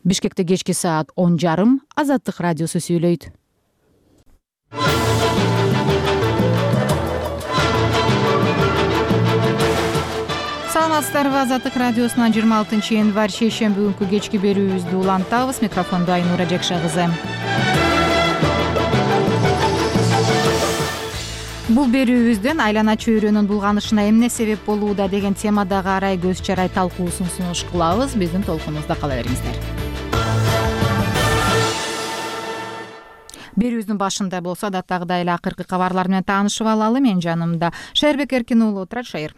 Бишкекте кечки саат 10:30 Азаттык радиосу сүйлөйт. Саламатсыздарбы? Азаттык радиосунан 26 январь шейшемби күнкү кечки берүүбүздү улантабыз. Микрофондо Айнура Жакша кызы. Бул берүүбүздөн айлана чөйрөнүн булганышына эмне себеп болууда деген темадагы арай көз чарай талкуусун сунуш кылабыз. Биздин толкунубузда кала бериңиздер. Берүүбүздүн башында болсо адаттагыдай эле акыркы кабарлар менен таанышып алалы. Мен жанымда Шайырбек Эркин уулу отурат. Шайыр.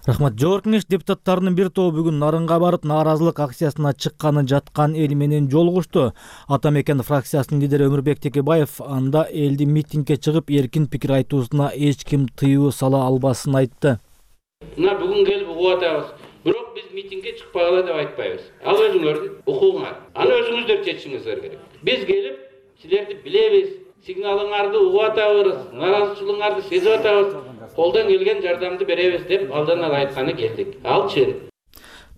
Рахмат. Жогорку Кеңеш депутаттарынын бир тобу бүгүн Нарынга барып, нааразылык акциясына чыкканы жаткан эл менен жолугушту. Ата мекен фракциясынын лидери Өмүрбек Текебаев анда элди митингге чыгып, эркин пикир айтуусуна эч ким тыюу сала албасын айтты. Мына бүгүн келип угуп атабыз. Бирок биз митингге чыкпагыла деп айтпайбыз. Ал өзүңөрдүн укугуңар. Аны өзүңүздөр чечишиңиздер керек. Биз келип силерди билебиз, сигналыңарды угуп атабыз, нааразычылыгыңарды сезип атабыз. Колдон келген жардамды беребиз деп алдан ала айтканы келдик. Ал чын.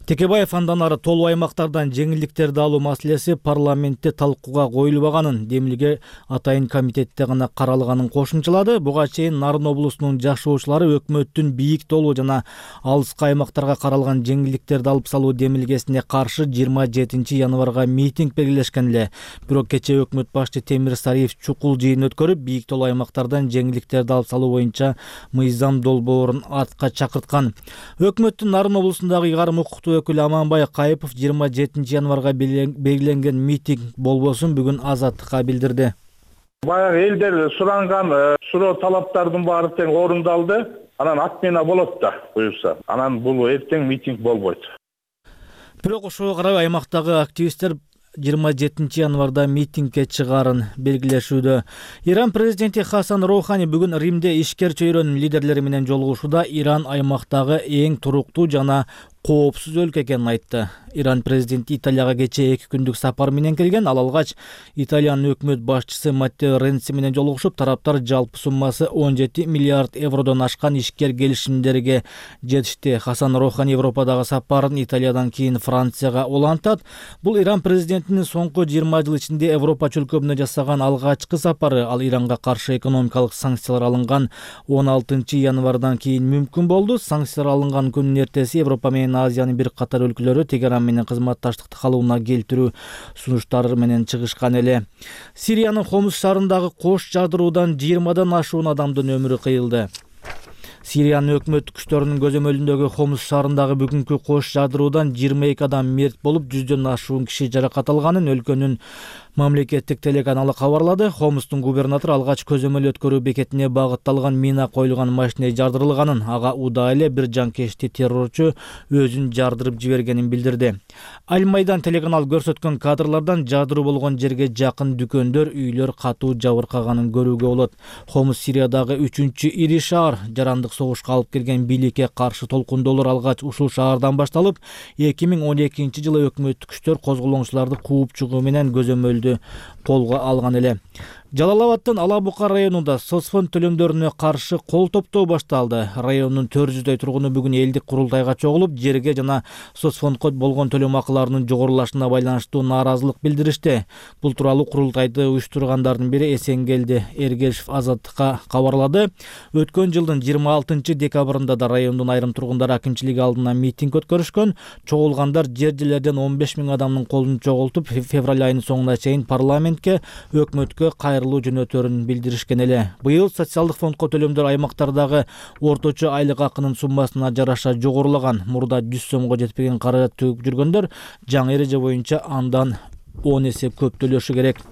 Текебаев андан ары толуу аймактардан жеңилдиктерди алуу маселеси парламентте талкууга коюлбаганын, демилге атайын комитетте гана каралганын кошумчалады. Буга чейин Нарын облусунун жашоочулары өкмөттүн бийик толуу жана алыскы аймактарга каралган жеңилдиктерди алып салуу демилгесине каршы 27 январга митинг белгилешкен эле. Бирок кечээ өкмөт башчы Темир Сариев чукул жыйын өткөрүп, бийик толуу аймактардан жеңилдиктерди алып салуу боюнча мыйзам долбоорун атка чакырткан. Өкмөттүн Нарын облусундагы ыйгарым укуктуу өкүлү Аманбай Кайыпов 27 январга белгиленген митинг болбосун бүгүн Азаттыкка билдирди. Баягы элдер суранган суроо талаптардын баары тең орундалды. Анан отмена болот да буюрса. Анан бул эртең митинг болбойт. Бирок ошого карабай аймактагы активисттер 27 январда митингге чыгарын белгилешүүдө. Иран президенти Хасан Роухани бүгүн Римде ишкер чөйрөнүн лидерлери менен жолугушууда Иран аймактагы эң туруктуу жана коопсуз өлкө экенин айтты. Иран президенти Италияга кечээ 2 күндүк сапар менен келген. Ал алгач Италиянын өкмөт башчысы Маттео Ренци менен жолугушуп, тараптар жалпы суммасы 17 миллиард евродон ашкан ишкер келишимдерге жетишти. Хасан Роухани Европадагы сапарын Италиядан кийин Францияга улантат. Бул Иран президентинин соңку 20 жыл ичинде Европа чөлкөмүнө жасаган алгачкы сапары. Ал Иранга каршы экономикалык санкциялар алынган 16 январдан кийин мүмкүн болду. Санкциялар алынган күнүн эртеси Европа менен Азиянын бир катар өлкөлөрү Тегеран менен кызматташтыкты калууна келтирүү сунуштары менен чыгышкан эле. Сириянын Хомус шаарындагы кош жадыруудан 20дан ашуун адамдын өмүрү кыйылды. Сириянын өкмөт күчтөрүнүн көзөмөлүндөгү Хомус шаарындагы бүгүнкү кош жадыруудан 22 адам мерт болуп, 100дөн ашуун киши жаракат алганын өлкөнүн мамлекеттик телеканалы кабарлады. Хомустун губернатору алгач көзөмөл өткөрүү бекетине багытталган мина коюлган машине жардырылганын, ага удаа эле бир жанкечти террорчу өзүн жардырып жибергенин билдирди. Аль-Майдан телеканал көрсөткөн кадрлардан жадыруу болгон жерге жакын дүкөндөр, үйлөр катуу жабыркаганын көрүүгө болот. Хомус Сириядагы 3-үчү ири шаар. Жарандык согушка алып келген бийликке каршы толкундоолор алгач ушул шаардан башталып, 2012 жылы өкмөттүк күчтөр козголоңчуларды кууп чыгуу менен көзөмөлдү колго алган эле. Жалал-Абадтын Ала-Бука районунда соцфонд төлөмдөрүнө каршы кол топтоо башталды. Райондун 400дөй тургуну бүгүн элдик курултайга чогулуп, жерге жана соцфондко болгон төлөм акыларынын жогорулашына байланыштуу нааразылык билдиришти. Бул тууралуу курултайды уюштургандардын бири Эсенгелди Эргешев Азаттыкка кабарлады. Өткөн жылдын 26 декабрында да райондун айрым тургундары акимчилиги алдына митинг өткөрүшкөн. Чогулгандар жер-жерлерден 15 000 адамдын колун чогултуп, февраль айынын соңуна чейин парламентке, өкмөткө кайрылуу жөнөтөрүн билдиришкен эле. Быйыл социалдык фондко төлөмдөр аймактардагы орточо айлык акынын суммасына жараша жогорулаган. Мурда 100 сомго жетпеген каражат төгүп жүргөндөр жаңы эреже боюнча андан 10 эсе көп төлөшү керек.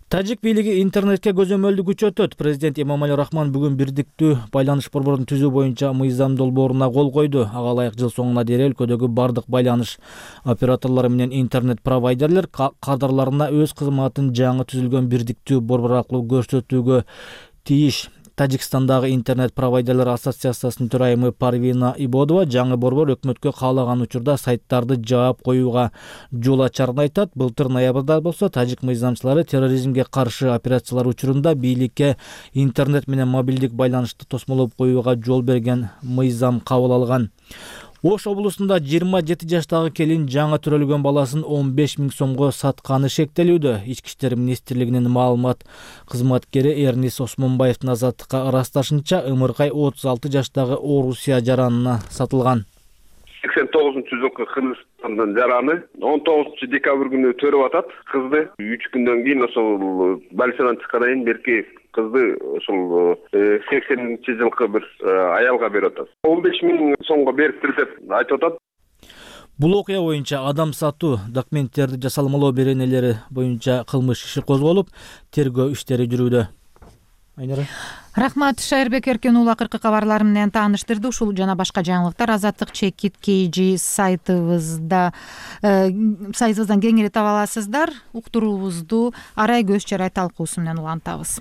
Тажик бийлиги интернетке көзөмөлдү күчөтөт. Президент Эмомали Рахмон бүгүн бирдиктүү байланыш борборун түзүү боюнча мыйзам долбооруна кол койду. Ага ылайык жыл соңуна дейин өлкөдөгү бардык байланыш операторлору менен интернет провайдерлер кадрларына өз кызматын жаңы түзүлгөн бирдиктүү борбор аркылуу көрсөтүүгө тийиш. Тажикстандагы интернет провайдерлер ассоциациясынын төрайымы Парвина Ибодова жаңы борбор өкмөткө каалаган учурда сайттарды жаап коюуга жол ачарын айтат. Былтыр ноябрда болсо тажик мыйзамчылары терроризмге каршы операциялар учурунда бийликке интернет менен мобилдик байланышты тосмолоп коюуга жол берген мыйзам кабыл алган. Ош облусунда 27 жаштагы келин жаңы төрөлгөн баласын 15 000 сомго сатканы шектелүүдө. Ички иштер министрлигинин маалымат кызматкери Эрнис Осмонбаевдин азаттыкка ырасташынча, ымыркай 36 жаштагы Орусия жаранына сатылган. 89-жылкы Кыргызстандын жараны 19 декабрь күнү төрөп атат кызды. 3 күндөн кийин ошол больницадан чыккандан кийин берки кызды ошол 80-жылкы бир аялга берип атат. 15 000 сомго бериптир деп айтып атат. Бул окуя боюнча адам сатуу документтерди жасалмалоо беренелери боюнча кылмыш иши козголуп, тергөө иштери жүрүүдө. Айнара. Рахмат, Шайырбек Эркен уулу акыркы кабарлар менен тааныштырды. Ушул жана башка жаңылыктар Азаттык чекит KG сайтыбыздан кеңири таба аласыздар. Уктуруубузду арай көз чарай талкуусу менен улантабыз.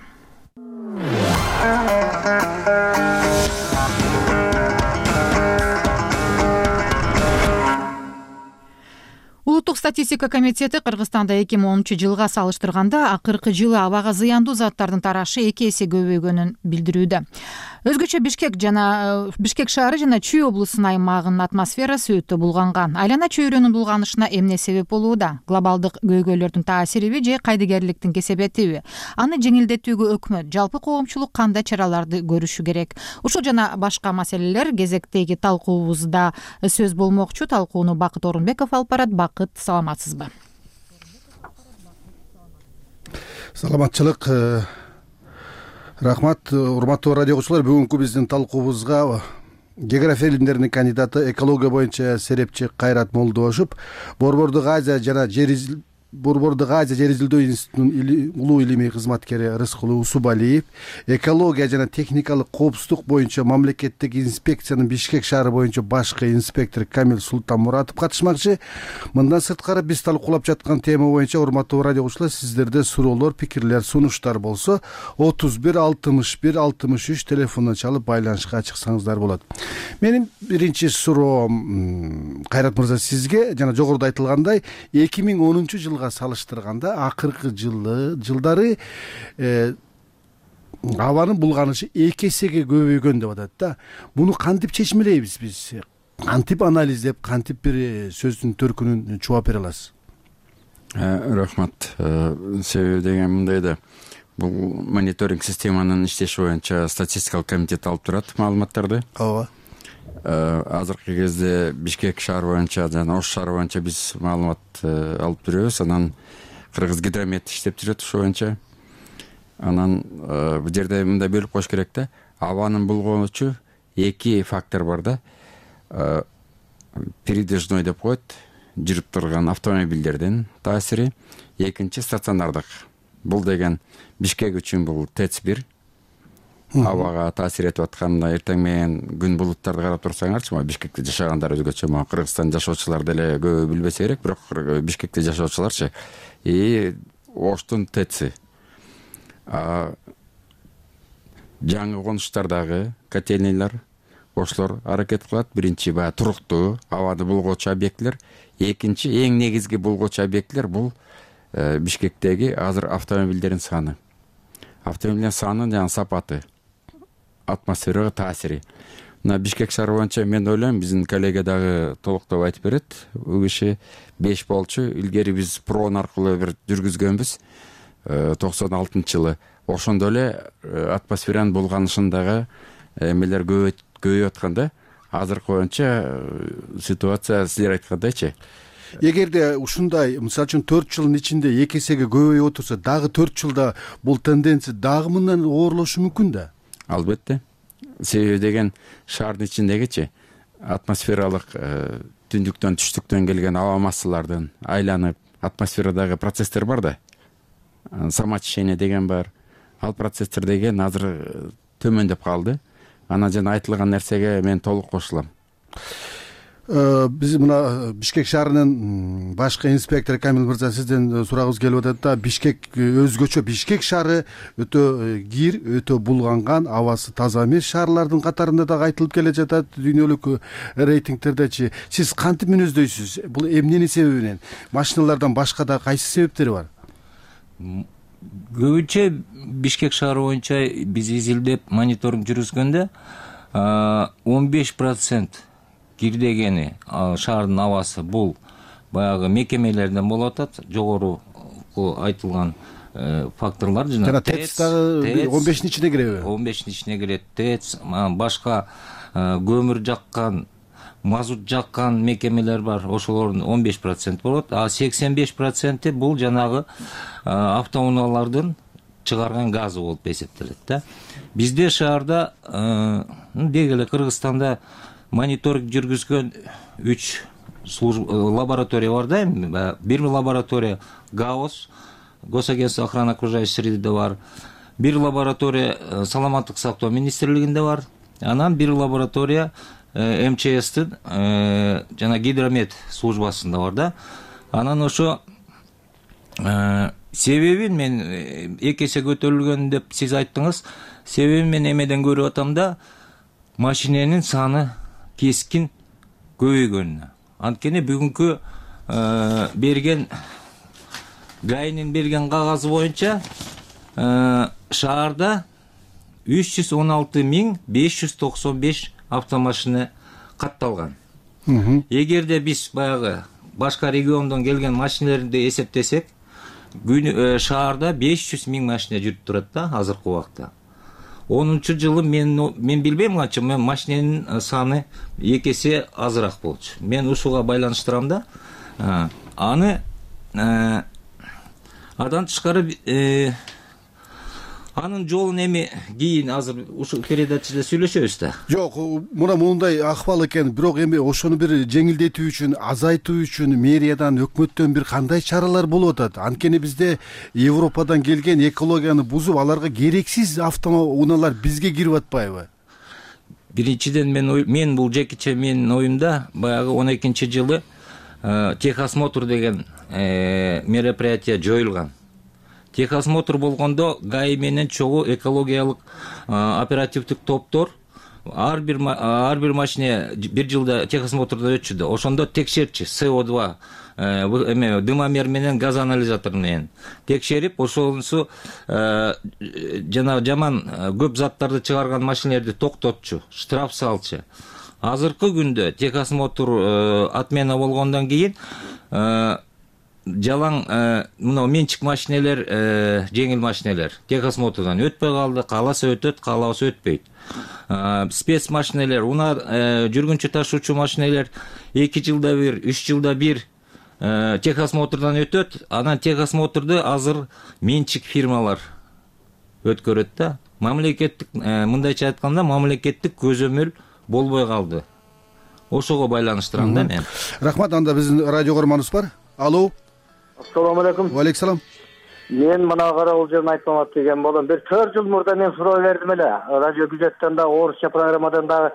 Улуттук статистика комитети Кыргызстанда 2010-жылга салыштырганда акыркы жылы абага зыяндуу заттардын тарашы 2 эсе көбөйгөнүн билдирүүдө. Өзгөчө Бишкек шаары жана Чүй облусунун аймагынын атмосферасы өтө булганган. Айлана чөйрөнүн булганышына эмне себеп болууда? Глобалдык көйгөйлөрдүн таасириби же кайдыгерликтин кесепетиби? Аны жеңилдетүүгө өкмөт, жалпы коомчулук кандай чараларды көрүшү керек? Ушул жана башка маселелер кезектеги талкуубузда сөз болмокчу. Талкууну Бакыт Орунбеков алып барат. Бакыт, саламатсызбы? Саламатчылык. Рахмат, урматтуу радио окуучулар. Бүгүнкү биздин талкуубузга география илимдеринин кандидаты, экология боюнча серепчи Кайрат Молдошев, Борбордук Азия жер изилдөө институтунун улуу илимий кызматкери Рыскул Усубалиев, экология жана техникалык коопсуздук боюнча мамлекеттик инспекциянын Бишкек шаары боюнча башкы инспектор Камил Султанмуратов катышмакчы. Мындан сырткары биз талкуулап жаткан тема боюнча урматтуу радио окуучулар, сиздерде суроолор, пикирлер, сунуштар болсо 31 61 63 телефондон чалып байланышка чыксаңыздар болот. Менин биринчи суроом Кайрат мырза сизге, жана жогоруда айтылгандай 2010-жылга салыштырганда акыркы жылдары абанын булганышы 2 эсеге көбөйгөн деп атат да. Муну кантип чечмелейбиз биз? Кантип анализдеп, кантип бир сөздүн төркүнүн чуап бере аласыз? Рахмат. Себеби деген мындай да, бул мониторинг системанын иштеши боюнча статистикалык комитет алып турат маалыматтарды. Ооба. Азыркы кезде Бишкек шаары боюнча жана Ош шаары боюнча биз маалымат алып жүрөбүз. Анан Кыргыз гидромет иштеп жүрөт ошол боюнча. Анан бул жерде мындай бөлүп коюш керек да. Абанын булгоочу 2 фактор бар да. Передвижной деп коет, жүрүп турган автомобилдердин таасири. Экинчи стационардык. Бул деген Бишкек үчүн бул ТЭЦ-1. Абага таасир этип атканда эртең менен күн булуттарды карап турсаңарчы, Бишкекте жашагандар өзгөчө, Кыргызстан жашоочулар деле көп билбесе керек, бирок Бишкекте жашоочуларчы Оштун ТЭЦ-и. Жаңы конуштардагы котельнийлер, ошолор аракет кылат. Биринчи туруктуу абаны булгоочу объектилер, экинчи эң негизги булгоочу объектилер бул Бишкектеги азыр автомобилдердин саны. Автомобилдердин саны жана сапаты, атмосферага таасири. Мына Бишкек шаары боюнча мен ойлойм, биздин коллега дагы толуктоп айтып берет. Бул киши 5 болчу. Илгери биз прон аркылуу бир жүргүзгөнбүз 96-жылы. Ошондо эле атмосферанын булганышындагы эмелер көбөйүп атканда, азыркы боюнча ситуация силер айткандайчы. Эгерде ушундай, мисалы үчүн 4 жылдын ичинде 2 эсеге көбөйүп отурса, дагы 4 жылда бул тенденция дагы мындан оорлошу мүмкүн да? Албетте. Себеби деген шаардын ичиндегичи атмосфералык түндүктөн түштүктөн келген аба массалардын айланып атмосферадагы процесстер бар да. Самоочищение деген бар. Ал процесстер деген азыр төмөндөп калды. Анан жана айтылган нерсеге мен толук кошулам. Биз мына Бишкек шаарынын башкы инспектору Камил мырза, сизден сурагыбыз келип атат да. Бишкек өзгөчө, Бишкек шаары өтө кир, өтө булганган, абасы таза эмес шаарлардын катарында дагы айтылып келе жатат дүйнөлүк рейтингтердечи. Сиз кантип мүнөздөйсүз? Бул эмненин себебинен? Машиналардан башка да кайсы себептери бар? Көбүнчө Бишкек шаары боюнча биз изилдеп мониторинг жүргүзгөндө 15% кирдегени шаардын абасы бул баягы мекемелерден болуп атат. Жогорку айтылган факторлор жана ТЭЦ дагы 15-тин ичине киреби? 15-тин ичине кирет. ТЭЦ, башка көмүр жаккан, мазут жаккан мекемелер бар. Ошолордун 15% болот. А 85% бул жанагы автоунаалардын чыгарган газы болуп эсептелет да. Бизде шаарда деги эле Кыргызстанда мониторинг жүргүзгөн 3 лаборатория бар да эми. Бир лаборатория ГАОС, Госагентство охраны окружающей среды бар. Бир лаборатория Саламаттык сактоо министрлигинде бар. Анан бир лаборатория МЧСтин жана гидромет службасында бар да. Анан ошо себебин мен 2 эсе көтөрүлгөн деп сиз айттыңыз. Себебин мен эмеден көрүп атам да, машиненин саны кескин көбөйгөнүнө. Анткени бүгүнкү берген ГАИнин берген кагазы боюнча шаарда 316.595 автомашина катталган. Эгерде биз баягы башка региондон келген машинелерди эсептесек, шаарда 500.000 машина жүрүп турат да азыркы убакта. 10-жылы мен билбейм канча, мен машиненин саны 2 эсе азыраак болчу. Мен ушуга байланыштырам да. Аны адан тышкары анын жолун эми кийин азыр ушул передачада сүйлөшөбүз да. Жок, мындай акыбал экен. Бирок эми ошону бир жеңилдетүү үчүн, азайтуу үчүн мэриядан, өкмөттөн бир кандай чаралар болуп атат? Анткени бизде Европадан келген экологияны бузуп, аларга керексиз автоунаалар бизге кирип атпайбы? Биринчиден мен бул жекече менин оюмда баягы 12-жылы техосмотр деген мероприятие жоюлган. Техосмотр болгондо ГАИ менен чогуу экологиялык оперативдик топтор ар бир машине бир жылда техосмотрдон өтчү. Ошондо текшерчи СО2 дымомер менен газ анализатор менен текшерип, ошонусу жана жаман көп заттарды чыгарган машинелерди токтотчу, штраф салчу. Азыркы күндө техосмотр отмена болгондон кийин жалаң мына менчик машинелер, жеңил машинелер техосмотрдан өтпөй калды, кааласа өтөт, каалабаса өтпөйт. Спец машинелер, жүргүнчү ташуучу машинелер 2 жылда бир, 3 жылда бир техосмотрдан өтөт. Анан техосмотрду азыр менчик фирмалар өткөрөт да. Мамлекеттик, мындайча айтканда, мамлекеттик көзөмөл болбой калды. Ошого байланыштырам да мен. Рахмат, анда биздин радио көрөрманыбыз бар. Алло. Ассаламу алейкум. Ва алейкум салам. Мен мына карабул жерин айтмамат деген болом. Бир 4 жыл мурда мен суроо бердим эле. Радио Күзөттөн да, орусча программадан да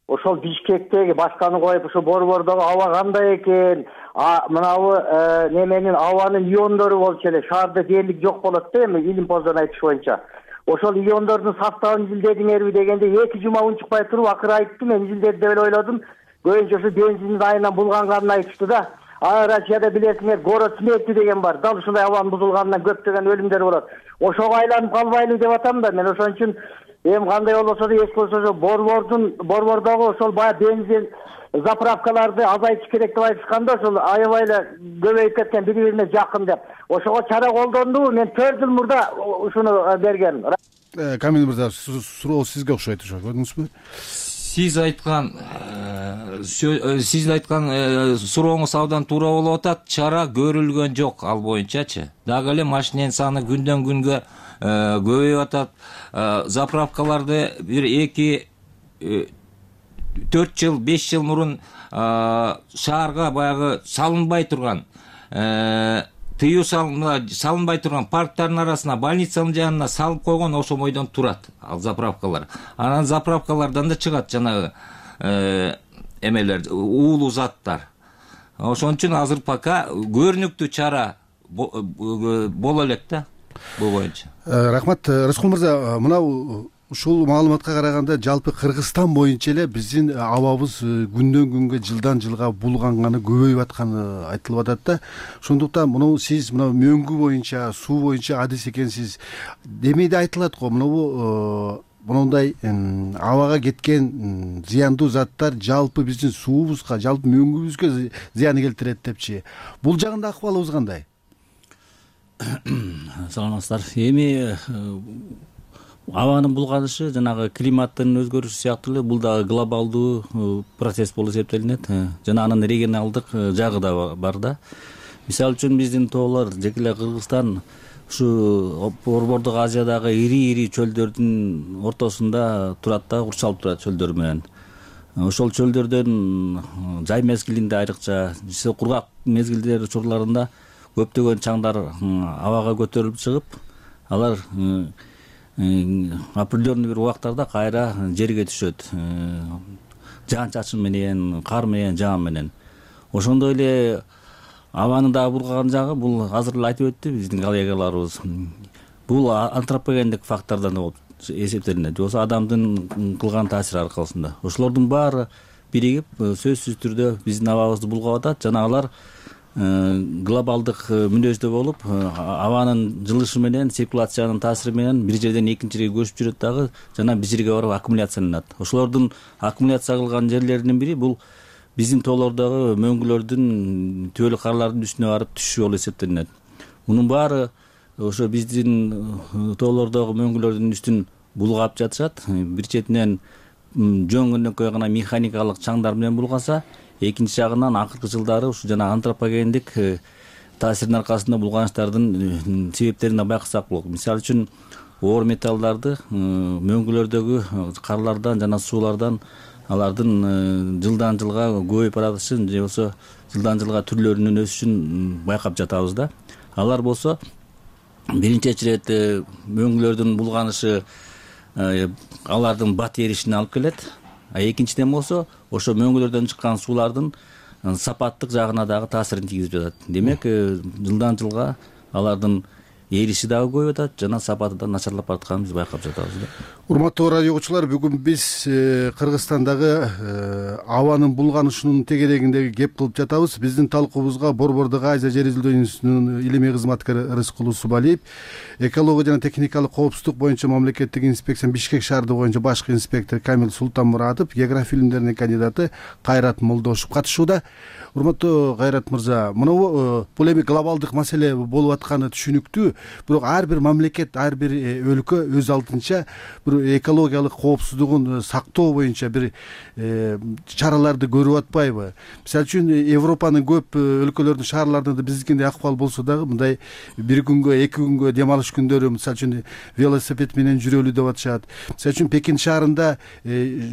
ошол Бишкектеги башканы коюп ушу борбордогу аба кандай экен, мынабы неменин абанын иондору болчу эле. Шаарда дээрлик жок болот да эми илим-поздон айтыш боюнча. Ошол иондордун составын изилдедиңерби дегенде 2 жума унчукпай туруп акыры айтты. Мен изилдеди деп эле ойлодум. Көбүнчө ушу бензиндин айынан булганганын айтышты да. Россияда билесиңер, город смерти деген бар. Дал ушундай абанын бузулганынан көптөгөн өлүмдөр болот. Ошого айланып калбайлы деп атам да. Мен ошон үчүн эми кандай болсо да эч болсо борбордогу ошол бая бензин заправкаларды азайтыш керек деп айтышканда, ошол аябай эле көбөйүп кеткен, бири-бирине жакын деп. Ошого чара колдондубу? Мен 4 жыл мурда ушуну бергем. Камил мырза, суроо сизге окшойт, ошо көрдүңүзбү? Сиз айткан сурооңуз абдан туура болуп атат. Чара көрүлгөн жок ал боюнчачы. Дагы эле машиненин саны күндөн күнгө көбөйүп атат. Заправкаларды бир 4 жыл, 5 жыл мурун шаарга баягы салынбай турган, тыюу салынбай турган парктардын арасына, больницанын жанына салып койгон ошо бойдон турат ал заправкалар. Анан заправкалардан да чыгат жанагы эмелер, уулуу заттар. Ошон үчүн азыр пока көрүнүктүү чара боло элек да бул боюнча. Рахмат, Рыскул мырза, мына ушул маалыматка караганда жалпы Кыргызстан боюнча эле биздин абабыз күндөн күнгө, жылдан жылга булганганы, көбөйүп атканы айтылып атат да. Ошондуктан мына сиз мөңгү боюнча, суу боюнча адис экенсиз. Демейде айтылат го, мына мондай абага кеткен зыяндуу заттар жалпы биздин суубузга, жалпы мөңгүбүзгө зыян келтирет депчи. Бул жагында акыбалыбыз кандай? Саламатсыздар. Эми абанын булганышы, жанагы климаттын өзгөрүшү сыяктуу эле бул дагы глобалдуу процесс болуп эсептелинет. Жана анын регионалдык жагы да бар да. Мисалы үчүн биздин тоолор, жеке эле Кыргызстан ушу Борбордук Азиядагы ири чөлдөрдүн ортосунда турат да, курчалып турат чөлдөр менен. Ошол чөлдөрдөн жай мезгилинде айрыкча, кургак мезгилдер учурларында көптөгөн чаңдар абага көтөрүлүп чыгып, алар определенный бир убактарда кайра жерге түшөт. Жаан-чачын менен, кар менен, жаан менен. Ошондой эле абанын дагы бурган жагы, бул азыр эле айтып өттү биздин коллегаларыбыз. Бул антропогендик фактордон болуп эсептелинет. Же болбосо адамдын кылган таасири аркылысында. Ошолордун баары биригип сөзсүз түрдө биздин абабызды булгап атат. Жана алар глобалдык мүнөздө болуп, абанын жылышы менен, циркуляциянын таасири менен бир жерден экинчи жерге көчүп жүрөт дагы, жана биз жерге барып аккумуляцияланат. Ошолордун аккумуляция кылган жерлеринин бири бул биздин тоолордогу мөңгүлөрдүн, түбөлүк карлардын үстүнө барып түшүү болуп эсептелинет. Мунун баары ошо биздин тоолордогу мөңгүлөрдүн үстүн булгап жатышат. Бир четинен жөн көнөкөй гана механикалык чаңдар менен булгаса, экинчи жагынан акыркы жылдары ушу жана антропогендик таасирдин аркасында булганыштардын себептерин байкасак болот. Мисалы үчүн оор металлдарды мөңгүлөрдөгү карлардан жана суулардан алардын жылдан жылга көбөйүп баратышын, же болбосо жылдан жылга түрлөрүнүн өсүшүн байкап жатабыз да. Алар болсо биринчи ирет мөңгүлөрдүн булганышы алардын бат эришине алып келет. Экинчиден болсо ошо мөңгүлөрдөн чыккан суулардын сапаттык жагына дагы таасирин тийгизип жатат. Демек, жылдан жылга алардын эриши дагы көбөйүп атат, жана сапаты да начарлап баратканын биз байкап жатабыз да. Урматтуу радио угуучулар, бүгүн биз Кыргызстандагы абанын булганышынын тегерегиндеги кеп кылып жатабыз. Биздин талкуубузга Борбордук Азия жер изилдөө институтунун илимий кызматкери Рыскул Усубалиев, экология жана техникалык коопсуздук боюнча мамлекеттик инспекция Бишкек шаардык боюнча башкы инспектор Камил Султанмуратов, география илимдеринин кандидаты Кайрат Молдошев катышууда. Урматтуу Кайрат мырза, бул эми глобалдык маселе болуп атканы түшүнүктүү, бирок ар бир мамлекет, ар бир өлкө өз алдынча бир экологиялык коопсуздугун сактоо боюнча бир чараларды көрүп атпайбы? Мисалы үчүн Европанын көп өлкөлөрдүн шаарларында биздикиндей акыбал болсо дагы мындай бир күнгө, эки күнгө дем алыш күндөрү мисалы үчүн велосипед менен жүрөлү деп атышат. Мисалы үчүн Пекин шаарында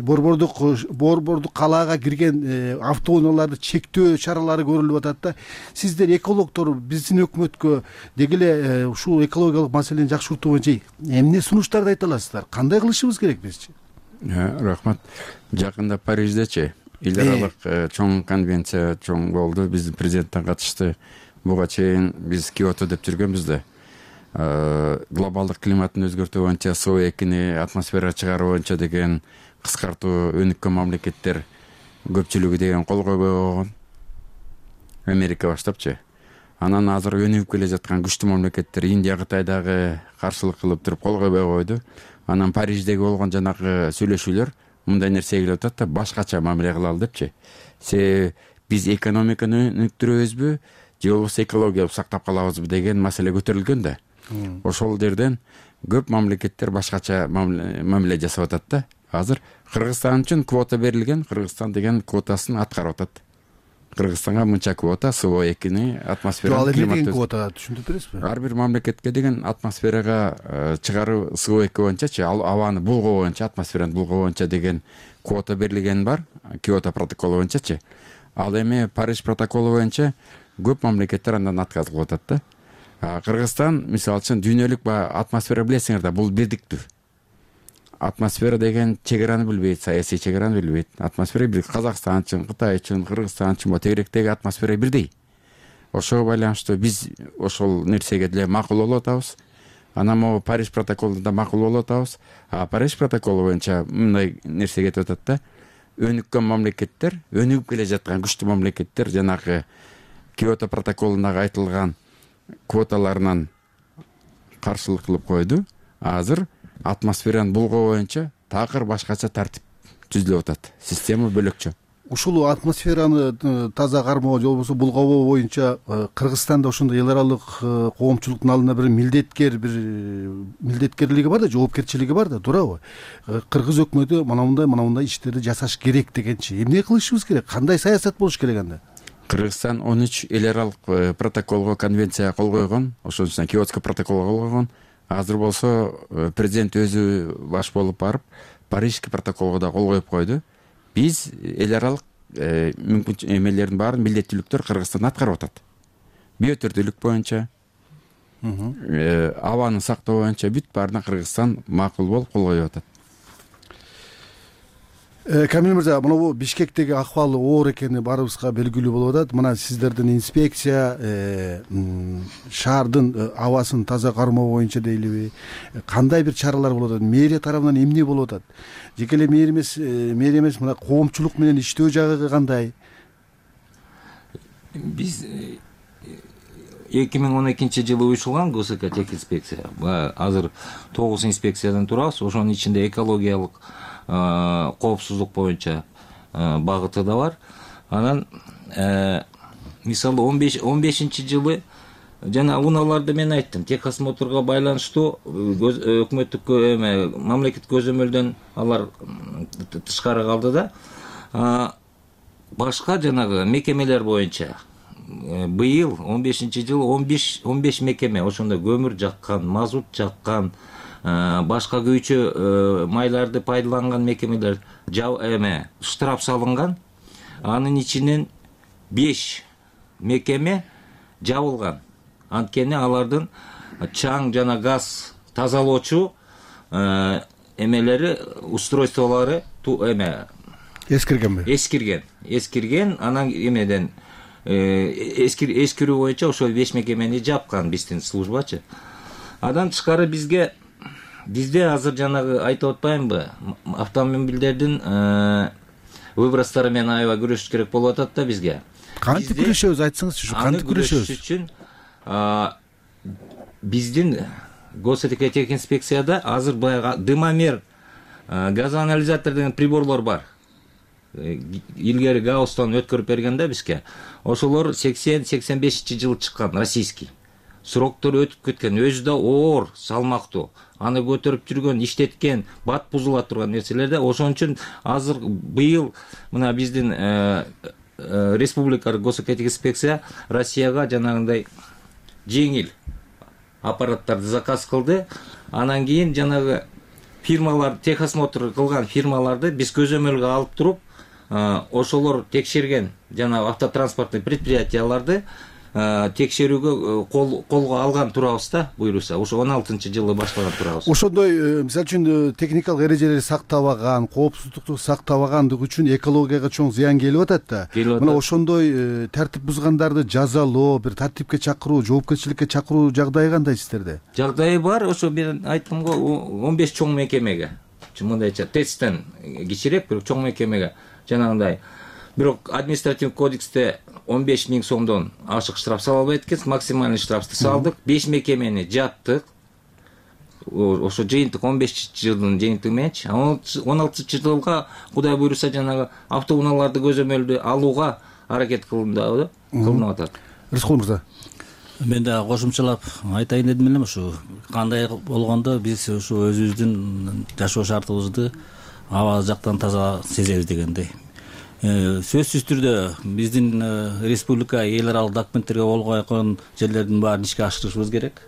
борбордук калаага кирген автоунааларды чектөө чаралары көрүлүп атат да. Сиздер экологдор биздин өкмөткө деги эле ушул экологиялык маселени жакшыртуу боюнча эмне сунуштарды айта аласыздар? Кандай кылышыбыз керек бизчи? Рахмат. Жакында Париждечи эл аралык чоң конвенция чоң болду. Биздин президенттен катышты. Буга чейин биз Киото деп жүргөнбүз да. Глобалдык климаттын өзгөртүү боюнча СО2-ни атмосферага чыгаруу боюнча деген кыскартуу өнүккөн мамлекеттер көпчүлүгү деген кол койбой койгон. Америка баштапчы. Анан азыр өнүгүп келе жаткан күчтүү мамлекеттер Индия, Кытай дагы каршылык кылып туруп кол койбой койду. Анан Париждеги болгон жанагы сүйлөшүүлөр мындай нерсеге келип атат да, башкача мамиле кылалы депчи. Биз экономиканы өнүктүрөбүзбү, же болбосо экологияны сактап калабызбы деген маселе көтөрүлгөн да. Ошол жерден көп мамлекеттер башкача мамиле жасап атат да. Азыр Кыргызстан үчүн квота берилген, Кыргызстан деген квотасын аткарып атат. Кыргызстанга мынча квота СО2-ни атмосферага климат квота түшүндүрүп бересизби? Ар бир мамлекетке деген атмосферага чыгаруу СО2 боюнчачы, абаны булгоо боюнча, атмосфераны булгоо боюнча деген квота берилген бар, Киото протоколу боюнчачы. Ал эми Париж протоколу боюнча көп мамлекеттер андан отказ кылып атат да. Кыргызстан мисалы үчүн дүйнөлүк атмосфера билесиңер да, бул бирдиктүү. Атмосфера деген чегараны билбейт, саясий чегараны билбейт. Атмосфера бир Казакстан үчүн, Кытай үчүн, Кыргызстан үчүн тегеректеги атмосфера бирдей. Ошого байланыштуу биз ошол нерсеге деле макул болуп атабыз. Анан могу Париж протоколунда макул болуп атабыз. Париж протоколу боюнча мындай нерсе кетип атат да. Өнүккөн мамлекеттер, өнүгүп келе жаткан күчтүү мамлекеттер жанагы Киото протоколундагы айтылган квоталарынан каршылык кылып койду. Азыр атмосфераны булгоо боюнча такыр башкача тартип түзүлүп атат, система бөлөкчө. Ушул атмосфераны таза кармоо же болбосо булгабоо боюнча Кыргызстанда ошондой эл аралык коомчулуктун алдында бир милдеткерлиги бар да, жоопкерчилиги бар да, туурабы? Кыргыз өкмөтү мындай иштерди жасаш керек дегенчи. Эмне кылышыбыз керек? Кандай саясат болуш керек анда? Кыргызстан 13 эл аралык протоколго, конвенцияга кол койгон, ошонун ичинде Киотско протоколго кол койгон. Азыр болсо президент өзү баш болуп барып Парижский протоколго да кол коюп койду. Биз эл аралык мүмкүн эмелердин баарын, милдеттүүлүктөр Кыргызстан аткарып атат. Биотүрдүүлүк боюнча, абаны сактоо боюнча бүт баарына Кыргызстан макул болуп кол коюп атат. Камил мырза, мына Бишкектеги акыбал оор экени баарыбызга белгилүү болуп атат. Мына сиздердин инспекция шаардын абасын таза кармоо боюнча дейлиби, кандай бир чаралар болуп атат? Мэрия тарабынан эмне болуп атат? Жеке эле мэрия эмес, мына коомчулук менен иштөө жагы кандай? Биз 2012-жылы уюштурулган ГСК техинспекция. Азыр 9 инспекциядан турабыз. Ошонун ичинде экологиялык коопсуздук боюнча багыты да бар. Анан мисалы 15-жылы жана унааларды мен айттым, техосмотрго байланыштуу өкмөттүк мамлекеттик көзөмөлдөн алар тышкары калды да. Башка жанагы мекемелер боюнча быйыл 15-жылы 15 мекеме ошондо көмүр жаккан, мазут жаккан, башка күйчү майларды пайдаланган мекемелер штраф салынган. Анын ичинен 5 мекеме жабылган. Анткени алардын чаң жана газ тазалоочу эмелери, устройстволору эскирген. Анан эмеден эскирүү боюнча ошол 5 мекемени жапкан биздин службачы. Адан тышкары бизде азыр жанагы айтып атпаймынбы, автомобилдердин выбростары менен аябай күрөшүш керек болуп атат да бизге. Кантип күрөшөбүз, айтсаңызчы, кантип күрөшөбүз? Үчүн биздин Госэкотехинспекцияда азыр баягы дымомер, газоанализатор деген приборлор бар. Илгери Гаустан өткөрүп берген да бизге. Ошолор 80-85-жылы чыккан, российский. Сроктору өтүп кеткен, өзү да оор, салмактуу. Аны көтөрүп жүргөн, иштеткен, бат бузула турган нерселерде. Ошон үчүн азыр быйыл мына биздин республикалык Госэкотехинспекция Россияга жанагындай жеңил аппараттарды заказ кылды. Анан кийин жанагы фирмалар, техосмотр кылган фирмаларды биз көзөмөлгө алып туруп, ошолор текшерген жанагы автотранспорттук предприятияларды текшерүүгө колго алган турабыз да, буйруса. Ошо 16-жылы баштаган турабыз. Ошондой, мисалы үчүн, техникалык эрежелерди сактабаган, коопсуздукту сактабагандыгы үчүн экологияга чоң зыян келип атат да. Мына ошондой тартип бузгандарды жазалоо, бир тартипке чакыруу, жоопкерчиликке чакыруу жагдайы кандай сиздерде? Жагдайы бар. Ошо мен айттым го, 15 чоң мекемеге. Мындайча тесттен кичирээк, бирок чоң мекемеге жанагындай. Бирок административдик кодексте 15 000 сомдон ашык штраф сала албайт экенбиз, максимальный штрафты салдык. 5 мекемени жаптык. Ошо жыйынтык 15 жылдын жыйынтыгы мененчи. 16 жылга Кудай буйруса жанагы автоунааларды көзөмөлдү алууга аракет кылынып атат. Рыскул мырза. Мен да кошумчалап айтайын дедим элем, ушу кандай болгондо биз ушу өзүбүздүн жашоо шартыбызды аба жактан таза сезебиз дегендей. Сөзсүз түрдө биздин республика эл аралык документтерге кол койгон жерлердин баарын ишке ашырышыбыз керек.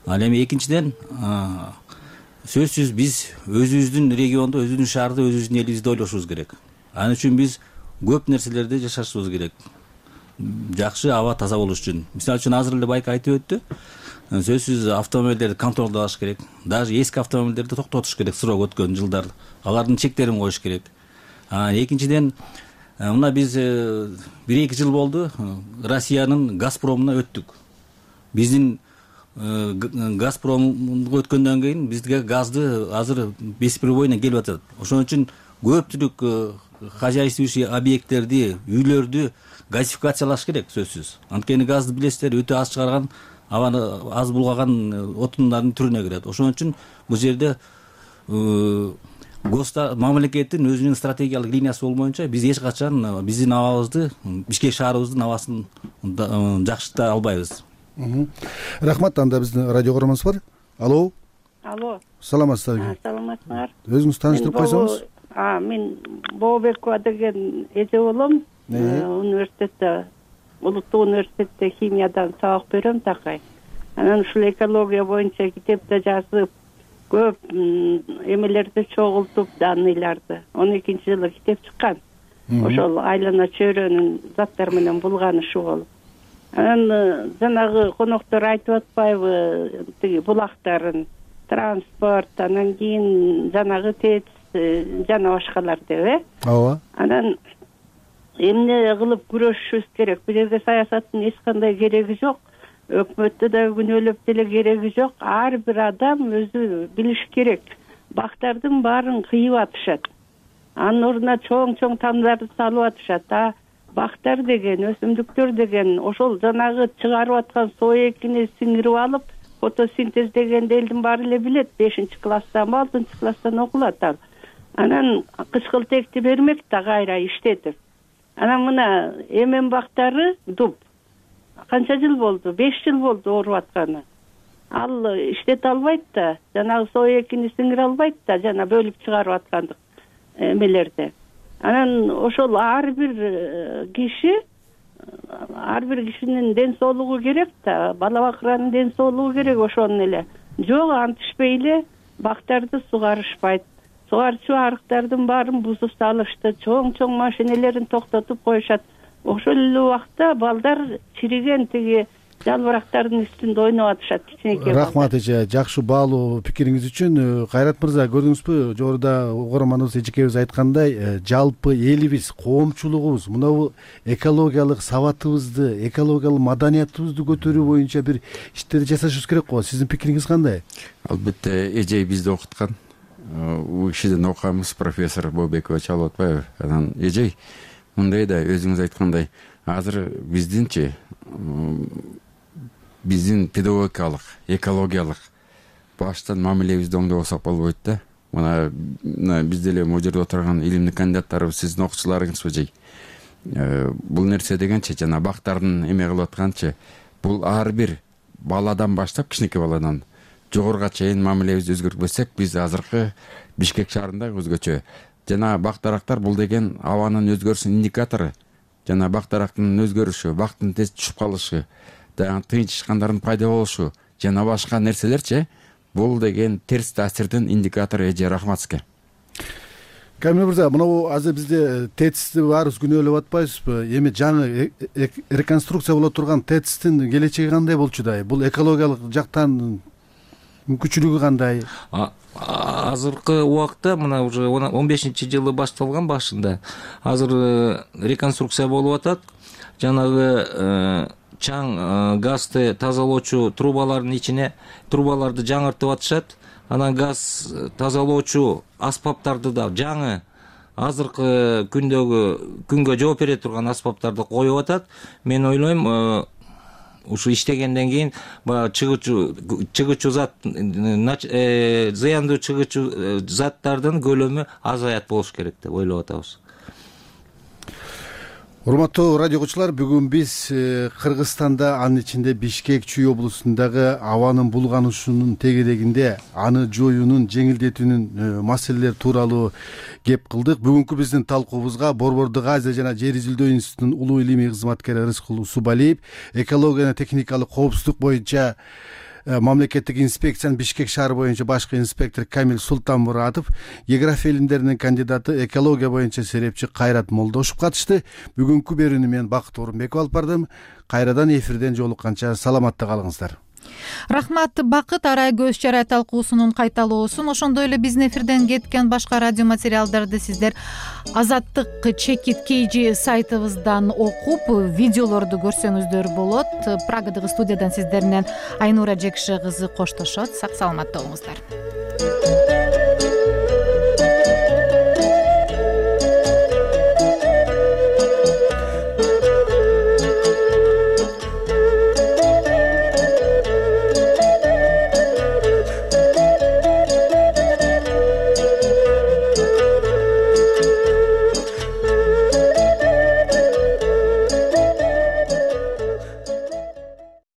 Ал эми экинчиден, сөзсүз биз өзүбүздүн регионду, өзүбүздүн шаарды, өзүбүздүн элибизди ойлошубуз керек. Ал үчүн биз көп нерселерди жашашыбыз керек. Жакшы аба таза болуш үчүн. Мисалы үчүн азыр эле байка айтып өттү. Сөзсүз автомобилдерди контролдош керек. Даже эски автомобилдерди токтотуш керек, срок өткөн жылдар. Алардын чектерин коюш керек. Экинчиден, мына биз 1-2 жыл болду Россиянын Газпромуна өттүк. Биздин Газпромго өткөндөн кийин бизге газды азыр беспребойно келип атат. Ошон үчүн көпчүлүк хозяйствующий объекттерди, үйлөрдү газификациялаш керек сөзсүз. Анткени газды билесиздер, өтө аз чыгарган, абаны аз булгаган отундардын түрүнө кирет. Ошон үчүн бул жерде мамлекеттин өзүнүн стратегиялык линиясы болмоюнча биз эч качан биздин абабызды, Бишкек шаарыбыздын абасын жакшырта албайбыз. Рахмат. Анда биздин радио көрөрмөнүбүз бар. Алло. Алло. Саламатсыздарбы? Саламатсыңар. Өзүңүздү тааныштырып койсоңуз. Мен Бообекова деген эже болом. Университетте, Улуттук университетте химиядан сабак берем такай. Анан ушул экология боюнча китеп да жазып, көп эмелерди чогултуп, данныйларды. 12-жылы китеп чыккан. Ошол айлана чөйрөнүн заттар менен булганышы болуп. Анан жанагы коноктор айтып атпайбы, тиги булактарын, транспорт, анан кийин жанагы ТЭЦ жана башкалар деп, Ооба. Анан эмне кылып күрөшүшүбүз керек? Бул жерде саясаттын эч кандай кереги жок. Өкмөттө да күнөөлөп деле кереги жок. Ар бир адам өзү билиш керек. Бактардын баарын кыйып атышат. Анын ордуна чоң тамдарды салып атышат. Бактар деген, өсүмдүктөр деген ошол жанагы чыгарып аткан соо экини сиңирип алып, фотосинтез дегенди элдин баары эле билет. 5-класстан, 6-класстан окулат ал. Анан кычкылтекти бермек да кайра иштетип. Анан мына эмен бактары дуб. Канча жыл болду? 5 жыл болду ооруп атканы. Ал иштете албайт да, жанагы соо экини сиңире албайт да, жана бөлүп чыгарып аткандык эмелерди. Анан ошол ар бир кишинин ден соолугу керек да, бала бакыранын ден соолугу керек ошонун эле. Жок, антишпей эле бактарды сугарышпайт. Сугарчу арыктардын баарын бузуп салышты, чоң машинелерин токтотуп коюшат. Ошол эле убакта балдар чириген тиги жалбырактардын үстүндө ойноп атышат, кичинекей. Рахмат эже, жакшы баалуу пикириңиз үчүн. Кайрат мырза, көрдүңүзбү, жогоруда угарманыбыз эжекебиз айткандай, жалпы элибиз, коомчулугубуз мына экологиялык сабатыбызды, экологиялык маданиятыбызды көтөрүү боюнча бир иштерди жасашыбыз керек го. Сиздин пикириңиз кандай? Албетте, эже бизди окуткан. У кишиден окуганбыз, профессор Бообекова чалып атпайбы? Анан эже мындай да, өзүңүз айткандай, азыр биздинчи биздин педагогикалык, экологиялык баштан мамилебизди оңдобосок болбойт да. Мына биз деле могу жерде отурган илимдик кандидаттарыбыз, сиздин окуучуларыңызбы жей. Бул нерсе дегенчи, жана бактардын эме кылып атканчы, бул ар бир баладан баштап, кичинекей баладан жогоруга чейин мамилебизди өзгөртпөсөк, биз азыркы Бишкек шаарында өзгөчө. Жана бак-дарактар бул деген абанын өзгөрүшүнүн индикатору. Жана бак-дарактын өзгөрүшү, бактын тез түшүп калышы, тыйынчышкандардын пайда болушу жана башка нерселерчи, бул деген терс таасирдин индикатору. Эже, рахмат сизге. Камил мырза, мына азыр бизде ТЭЦти баарыбыз күнөөлөп атпайбызбы? Эми жаңы реконструкция боло турган ТЭЦтин келечеги кандай болчу да? Бул экологиялык жактан мүмкүнчүлүгү кандай? Азыркы убакта мына уже 15-жылы башталган башында. Азыр реконструкция болуп атат. Жанагы чаң газды тазалоочу трубалардын ичине трубаларды жаңыртып атышат. Анан газ тазалоочу аспаптарды да жаңы азыркы күнгө жооп бере турган аспаптарды коюп атат. Мен ойлойм, ушу иштегенден кийин чыгуучу зат, зыяндуу чыгуучу заттардын көлөмү азаят болуш керек деп ойлоп атабыз. Урматтуу радио окуучулар, бүгүн биз Кыргызстанда, анын ичинде Бишкек Чүй облусундагы абанын булганышынын тегерегинде аны жоюунун, жеңилдетүүнүн маселелери тууралуу кеп кылдык. Бүгүнкү биздин талкуубузга Борбордук Азия жана Жер изилдөө институтунун улуу илимий кызматкери Рыскул Усубалиев, экология жана техникалык коопсуздук боюнча мамлекеттик инспекциянын Бишкек шаары боюнча башкы инспектор Камил Султанмуратов, география илимдеринин кандидаты, экология боюнча серепчи Кайрат Молдошев катышты. Бүгүнкү берүүнү мен Бакыт Орунбеков алып бардым. Кайрадан эфирден жолукканча саламатта калыңыздар. Рахмат Бакыт. Арай көз чарай талкуусунун кайталоосун, ошондой эле биздин эфирден кеткен башка радио материалдарды сиздер Азаттык чекит KG сайтыбыздан окуп, видеолорду көрсөңүздөр болот. Прагадагы студиядан сиздер менен Айнура Жекше кызы коштошот. Сак саламатта болуңуздар.